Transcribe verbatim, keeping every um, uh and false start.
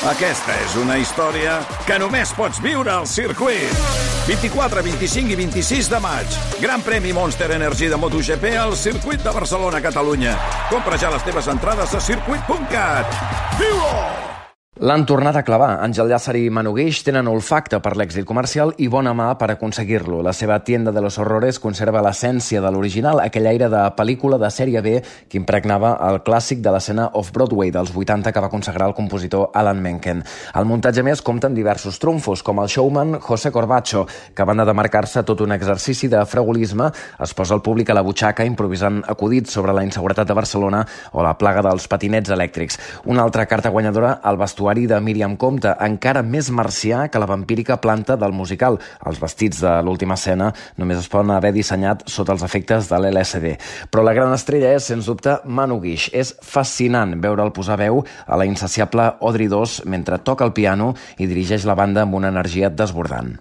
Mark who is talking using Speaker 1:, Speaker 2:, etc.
Speaker 1: Aquesta és una història que només pots viure al circuit. vint-i-quatre, vint-i-cinc i vint-i-sis de maig. Gran premi Monster Energy de MotoGP al circuit de Barcelona, Catalunya. Compra ja les teves entrades a circuit punt cat. Viu-ho!
Speaker 2: L'han tornat a clavar. Àngel Llàcer i Manu Guix tenen olfacte per l'èxit comercial i bona mà per aconseguir-lo. La seva Tienda de los Horrores conserva l'essència de l'original, aquell aire de pel·lícula de sèrie B que impregnava el clàssic de l'escena off-Broadway dels vuitanta que va consagrar el compositor Alan Menken. El muntatge més compta amb diversos trumfos, com el showman José Corbacho, que a banda de marcar-se tot un exercici de fregolisme, es posa el públic a la butxaca improvisant acudits sobre la inseguretat de Barcelona o la plaga dels patinets elèctrics. Una altra carta guanyadora, el vestuari de Míriam Compte, encara més marcià que la vampírica planta del musical. Els vestits de l'última escena només es poden haver dissenyat sota els efectes de l'L S D. Però la gran estrella és, sens dubte, Manu Guix. És fascinant veure'l posar veu a la insaciable Audrey dos mentre toca el piano i dirigeix la banda amb una energia desbordant.